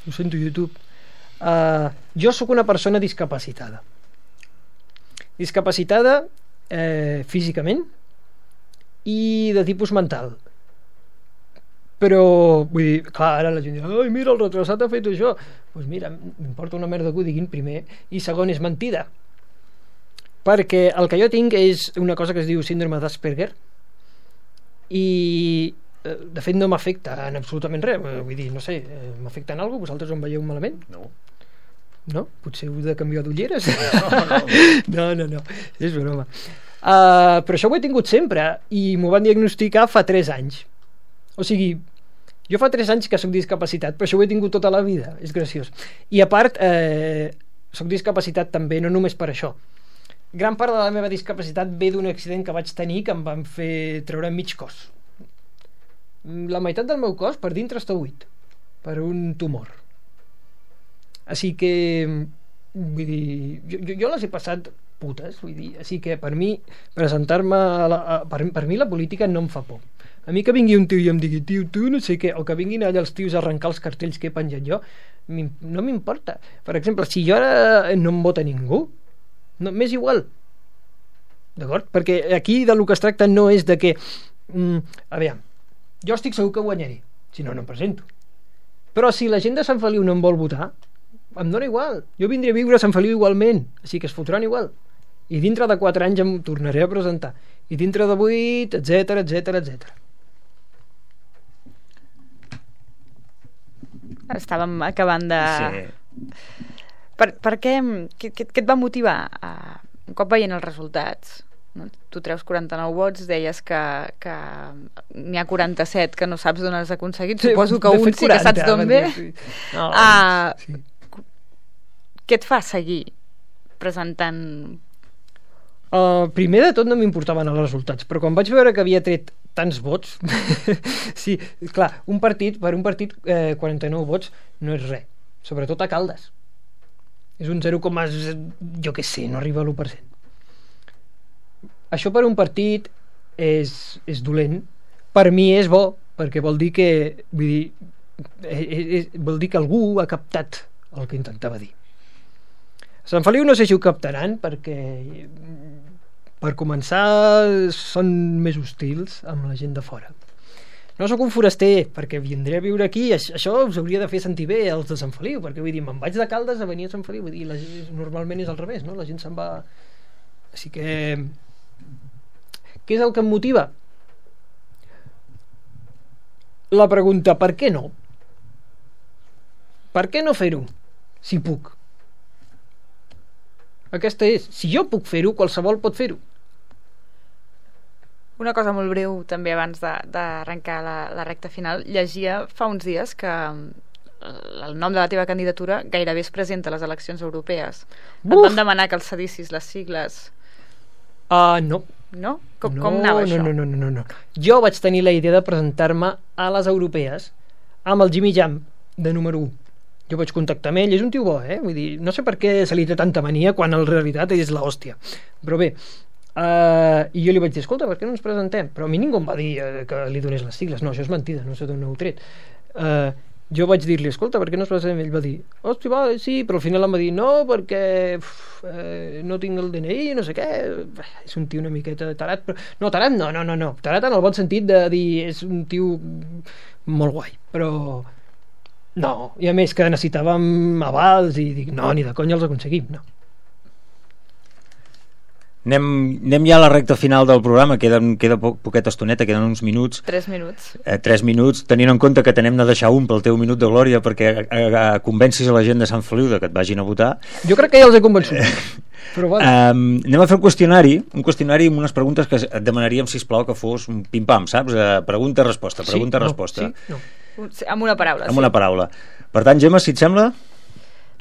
Ho sento, YouTube. Jo sóc una persona discapacitada. Discapacitada físicament i de tipus mental. Però, vull dir, clar, ara la gent diu, ai, mira, el retrasat ha fet això. Doncs mira, m'importa una merda que ho diguin, primer, i segon, és mentida. Perquè el que jo tinc és una cosa que es diu síndrome d'Asperger, i de fet no m'afecta en absolutament res, vull dir, no sé, m'afecta en alguna cosa? Vosaltres em veieu malament? No. No? Potser heu de canviar d'ulleres? No, és broma. Però això ho he tingut sempre, i m'ho van diagnosticar fa 3 anys. O sigui, jo fa 3 anys que soc discapacitat, però això ho he tingut tota la vida, és graciós. I a part, soc discapacitat també, no només per això. Gran part de la meva discapacitat ve d'un accident que vaig tenir que em van fer treure mig cos. La meitat del meu cos per dintre està buit, per un tumor. Així que, vull dir, jo les he passat putes, vull dir, així que per mi presentar-me per mi la política no em fa por. A mi que vingui un tio i em digui, tio, tu no sé què, o que vinguin allà els tios a arrencar els cartells que he penjat jo, no m'importa. Per exemple, si jo ara no em vota ningú, no, m'és igual, d'acord? Perquè aquí de lo que es tracta no és de que a veure, jo estic segur que guanyaré, si no, no em presento. Però si la gent de Sant Feliu no em vol votar, em dona igual, jo vindré a viure a Sant Feliu igualment, així que es fotran igual, i dintre de 4 anys em tornaré a presentar, i dintre de 8, etc. Estàvem acabant de... Sí. Per què et va motivar un cop veient els resultats? No? Tu treus 49 vots, deies que n'hi ha 47 que no saps d'on has aconseguit, suposo que un sí que saps d'on ve. No, sí. Què et fa seguir presentant? Primer de tot no m'importaven els resultats, però quan vaig veure que havia tret tants vots sí, clar, per un partit 49 vots no és res, sobretot a Caldes, És un 0, jo què sé, no arriba a l'1%. Això per un partit és dolent. Per mi és bo, perquè vol dir que vol dir que algú ha captat el que intentava dir. A Sant Feliu no sé si ho captaran, perquè per començar són més hostils amb la gent de fora. No sóc un foraster, perquè vindré a viure aquí, això us hauria de fer sentir bé els de Sant Feliu, perquè vull dir, me'n vaig de Caldes a venir a Sant Feliu, vull dir, normalment és al revés, no? La gent se'n va... Així que... Què és el que em motiva? La pregunta, per què no? Per què no fer-ho? Si puc. Aquesta és, si jo puc fer-ho, qualsevol pot fer-ho. Una cosa molt breu també abans d'arrencar la recta final. Llegia fa uns dies que el nom de la teva candidatura gairebé es presenta a les eleccions europees. Et van demanar que els cedissis les sigles. No. No? Com anava això? No. Jo vaig tenir la idea de presentar-me a les europees amb el Jimmy Jam de número 1. Jo vaig contactar amb ell, és un tio bo, vull dir, no sé per què se li té tanta mania quan en realitat és l'hòstia. Però bé, i jo li vaig dir, escolta, per què no ens presentem? Però a mi ningú em va dir que li donés les sigles. No, això és mentida, no sé d'on heu tret. Jo vaig dir-li, escolta, per què no es presentem? Ell va dir, hòstia, va, sí, però al final em va dir, no, perquè no tinc el DNI, no sé què. És un tio una miqueta tarat, però... No, tarat no. Tarat en el bon sentit de dir, és un tio molt guai, però... No, i a més que necessitàvem avals i dic, no, ni de conya els aconseguim, no. Anem ja a la recta final del programa, queda poqueta estoneta, queden uns minuts. 3 minuts. 3 minuts, tenint en compte que t'hem de deixar un pel teu minut de glòria perquè convencis a la gent de Sant Feliu que et vagin a votar. Jo crec que ja els he convençut. Però vale. Anem a fer un qüestionari amb unes preguntes que et demanaríem, sisplau, que fos un pim-pam, saps? Pregunta-resposta, pregunta-resposta. Sí, no. Amb una paraula. Amb una paraula. Per tant, Gemma, si et sembla...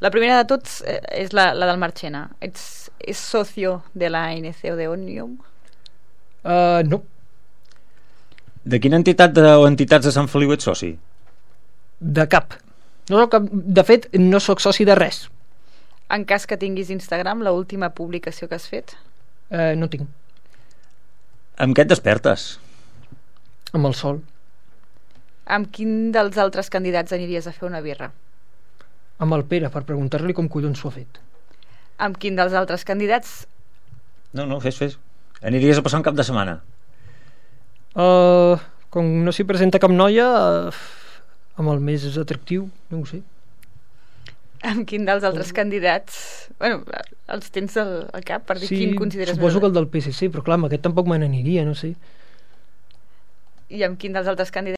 La primera de tots és la del Marchena. ¿Es socio de la ANC o de Òmnium? No. De quina entitat o entitats de Sant Feliu ets soci? De cap. De fet, no sóc soci de res. En cas que tinguis Instagram, l'última publicació que has fet? No tinc. Amb què et despertes? Amb el sol. Amb quin dels altres candidats aniries a fer una birra? Amb el Pere, per preguntar-li com collons s'ho ha fet. Amb quin dels altres candidats? No, fes. Aniries a passar un cap de setmana? Com no s'hi presenta cap noia, amb el més atractiu, no ho sé. Amb quin dels altres candidats? Bueno, els tens al cap per dir quin consideres suposo que el del PSC, però clar, amb aquest tampoc me n'aniria, no sé. I amb quin dels altres candidats